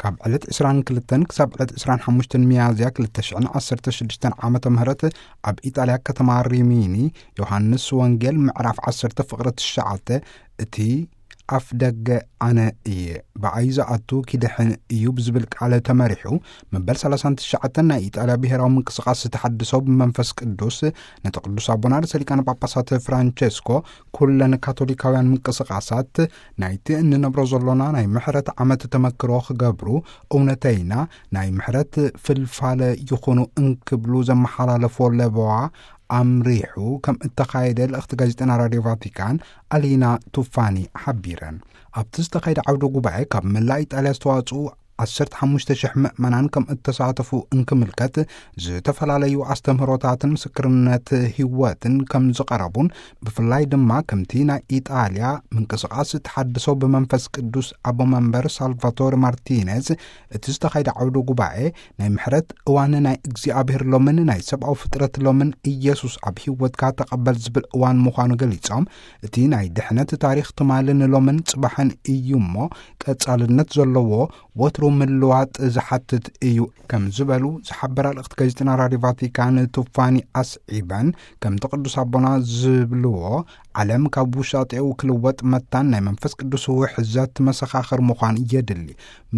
ካብ ዕለት ዕስራን ክልተን ክሳብ ዕለት ዕስራን ሓሙሽተን ሚያዝያ ክልተ ሽሕን ዓሰርተ ሽዱሽተን ዓመተ ምህረት ኣብ ኢጣልያ ከተማ ሪሚኒ ዮሃንስ ወንጌል ምዕራፍ ዓሰርተ ፍቕሪ ትሽዓተ፣ እቲ ኣፍ ደገ ኣነ እየ፣ ብኣይ ዝኣቱ ኪድሕን እዩ ብዝብል ቃል ተመሪሑ፣ መበል ሰላሳን ትሽዓተን ናይ ኢጣልያ ብሔራዊ ምንቅስቃስ ተሓድሶ ብመንፈስ ቅዱስ ነቲ ቅዱስ ኣቦና ርእሰ ሊቃነ ጳጳሳት ፍራንቸስኮ ኩለን ካቶሊካውያን ምንቅስቃሳት ናይቲ እንነብሮ ዘሎና ናይ ምሕረት ዓመት ተመክሮ ክገብሩ፣ እውነተይና ናይ ምሕረት ፍልፋለ ይኹኑ እንክብሉ ዘመሓላለፎ ለበዋ ኣምሪሑ ከም እተኻየደ ልእኽቲ ጋዜጠና ራድዮ ቫቲካን ኣሊና ቱፋኒ ሓቢረን። ኣብቲ ዝተኻየደ ዓውደ ጉባኤ ካብ መላእ ኢጣልያ ዝተዋጽኡ ዓሰርተ ሓሙሽተ ሽሕ ምእመናን ከም እተሳተፉ እንክምልከት፣ ዝተፈላለዩ ኣስተምህሮታትን ምስክርነት ህይወትን ከም ዝቐረቡን፣ ብፍላይ ድማ ከምቲ ናይ ኢጣልያ ምንቅስቃስ ተሓድሶ ብመንፈስ ቅዱስ ኣቦ መንበር ሳልቫቶር ማርቲኔዝ፣ እቲ ዝተኻየደ ዓውደ ጉባኤ ናይ ምሕረት እዋን ናይ እግዚኣብሔር ሎምን ናይ ሰብኣዊ ፍጥረት ሎምን ኢየሱስ ኣብ ህይወትካ ተቐበል ዝብል እዋን ምዃኑ ገሊጾም፣ እቲ ናይ ድሕነት ታሪኽ ትማልን ሎምን ጽባሕን እዩ እሞ፣ ቀጻልነት ዘለዎ ወትሩ ምልዋጥ ዝሓትት እዩ ከም ዝበሉ ዝሓበራ ልእኽቲ ጋዜጠና ራድዮ ቫቲካን ቱፋኒ ኣስዒበን፣ ከምቲ ቅዱስ ኣቦና ዝብልዎ፣ ዓለም ካብ ውሻጤኡ ክልወጥ መታን ናይ መንፈስ ቅዱስ ውሕዘት መሰኻኽር ምዃን የድሊ።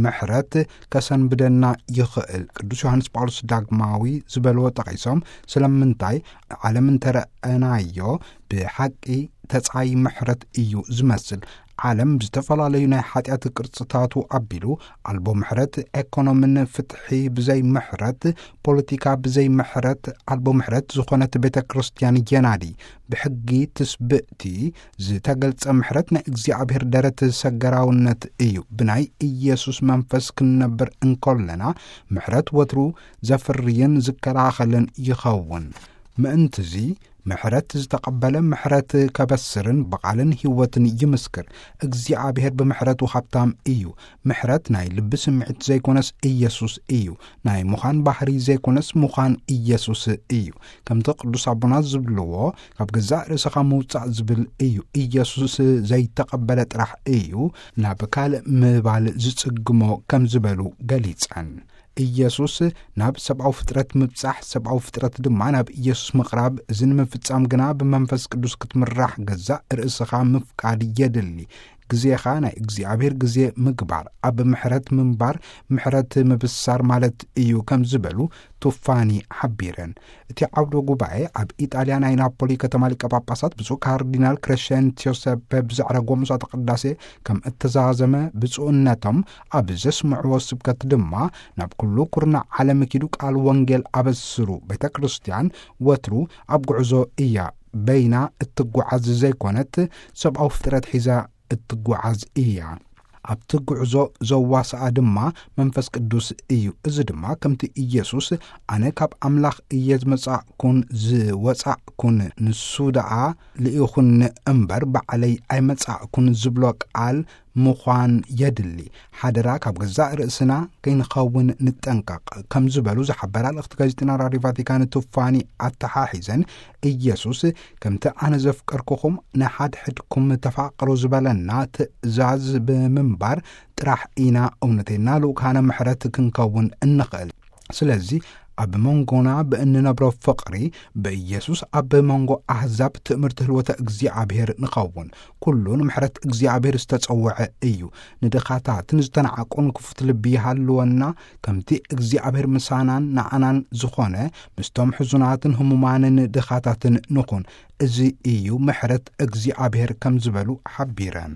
ምሕረት ከሰንብደና ይኽእል። ቅዱስ ዮሃንስ ጳውሎስ ዳግማዊ ዝበልዎ ጠቒሶም፣ ስለምንታይ ዓለም እንተረኣናዮ ብሓቂ ተጻይ ምሕረት እዩ ዝመስል። ዓለም ብዝተፈላለዩ ናይ ሓጢኣት ቅርጽታቱ ኣቢሉ፣ ኣልቦ ምሕረት፣ ኤኮኖምን ፍትሒ ብዘይ ምሕረት፣ ፖለቲካ ብዘይ ምሕረት፣ ኣልቦ ምሕረት ዝኾነት ቤተ ክርስቲያን የናዲ። ብሕጊ ትስብእቲ ዝተገልጸ ምሕረት ናይ እግዚኣብሔር ደረት ሰገራውነት እዩ። ብናይ ኢየሱስ መንፈስ ክንነብር እንከለና፣ ምሕረት ወትሩ ዘፍርይን ዝከላኸልን ይኸውን። ምእንትዚ፣ ምሕረት ዝተቐበለ ምሕረት ከበስርን ብቓልን ህይወትን ይምስክር። እግዚኣብሔር ብምሕረቱ ሃብታም እዩ። ምሕረት ናይ ልቢ ስምዒት ዘይኮነስ ኢየሱስ እዩ። ናይ ምዃን ባህሪ ዘይኮነስ ምዃን ኢየሱስ እዩ። ከምቲ ቅዱስ ኣቦና ዝብልዎ፣ ካብ ገዛእ ርእስኻ ምውጻእ ዝብል እዩ። ኢየሱስ ዘይተቐበለ ጥራሕ እዩ ናብ ካልእ ምባል ዝጽግሞ ከም ዝበሉ ገሊጸን። ኢየሱስ ናብ ሰብኣዊ ፍጥረት ምብጻሕ፣ ሰብኣዊ ፍጥረት ድማ ናብ ኢየሱስ ምቕራብ፣ እዚ ንምፍጻም ግና ብመንፈስ ቅዱስ ክትምራሕ ገዛእ ርእስኻ ምፍቃድ የድሊ። ግዜኻ ናይ እግዚኣብሔር ግዜ ምግባር፣ ኣብ ምሕረት ምንባር፣ ምሕረት ምብሳር ማለት እዩ ከም ዝበሉ ቱፋኒ ሓቢረን። እቲ ዓውደ ጉባኤ ኣብ ኢጣልያ ናይ ናፖሊ ከተማ ሊቀ ጳጳሳት ብፁዕ ካርዲናል ክረሸንት ዮሴፐ ብዘዕረጎ መስዋዕተ ቅዳሴ ከም እተዛዘመ ብፁዕነቶም ኣብ ዘስምዕዎ ስብከት ድማ፣ ናብ ኩሉ ኩርናዕ ዓለም ኪዱ ቃል ወንጌል ኣበስሩ። ቤተ ክርስቲያን ወትሩ ኣብ ጉዕዞ እያ። በይና እትጓዓዝ ዘይኮነት፣ ሰብኣዊ ፍጥረት ሒዛ እትጓዓዝ እያ። ኣብቲ ጉዕዞ ዘዋስኣ ድማ መንፈስ ቅዱስ እዩ። እዚ ድማ ከምቲ ኢየሱስ፣ "ኣነ ካብ ኣምላኽ እየ ዝመጻእኩን ዝወጻእኩን፣ ንሱ ደኣ ልኢኹኒ እምበር ባዕለይ ኣይመጻእኩን" ዝብሎ ቃል ምዃን የድሊ። ሓደራ ካብ ገዛእ ርእስና ከይንኸውን ንጠንቀቕ ከም ዝበሉ ዝሓበራ ልእኽቲ ጋዜጠና ራድዮ ቫቲካን ቱፋኒ ኣተሓሒዘን፣ ኢየሱስ፣ "ከምቲ ኣነ ዘፍቀርኩኹም ንሓድሕድኩም ተፋቐሩ" ዝበለና ትእዛዝ ብምንባር ጥራሕ ኢና እውነተይና ልኡካነ ምሕረት ክንከውን እንኽእል። ስለዚ ኣብ መንጎና ብእንነብሮ ፍቕሪ ብኢየሱስ ኣብ መንጎ ኣህዛብ ትእምርቲ ህልወተ እግዚኣብሔር ንኸውን። ኩሉ ንምሕረት እግዚኣብሔር ዝተጸውዐ እዩ። ንድኻታትን ዝተናዕቁን ክፉት ልቢ ይሃልወና። ከምቲ እግዚኣብሔር ምሳናን ንዓናን ዝኾነ ምስቶም ሕዙናትን ህሙማንን ድኻታትን ንኹን። እዚ እዩ ምሕረት እግዚኣብሔር ከም ዝበሉ ሓቢረን።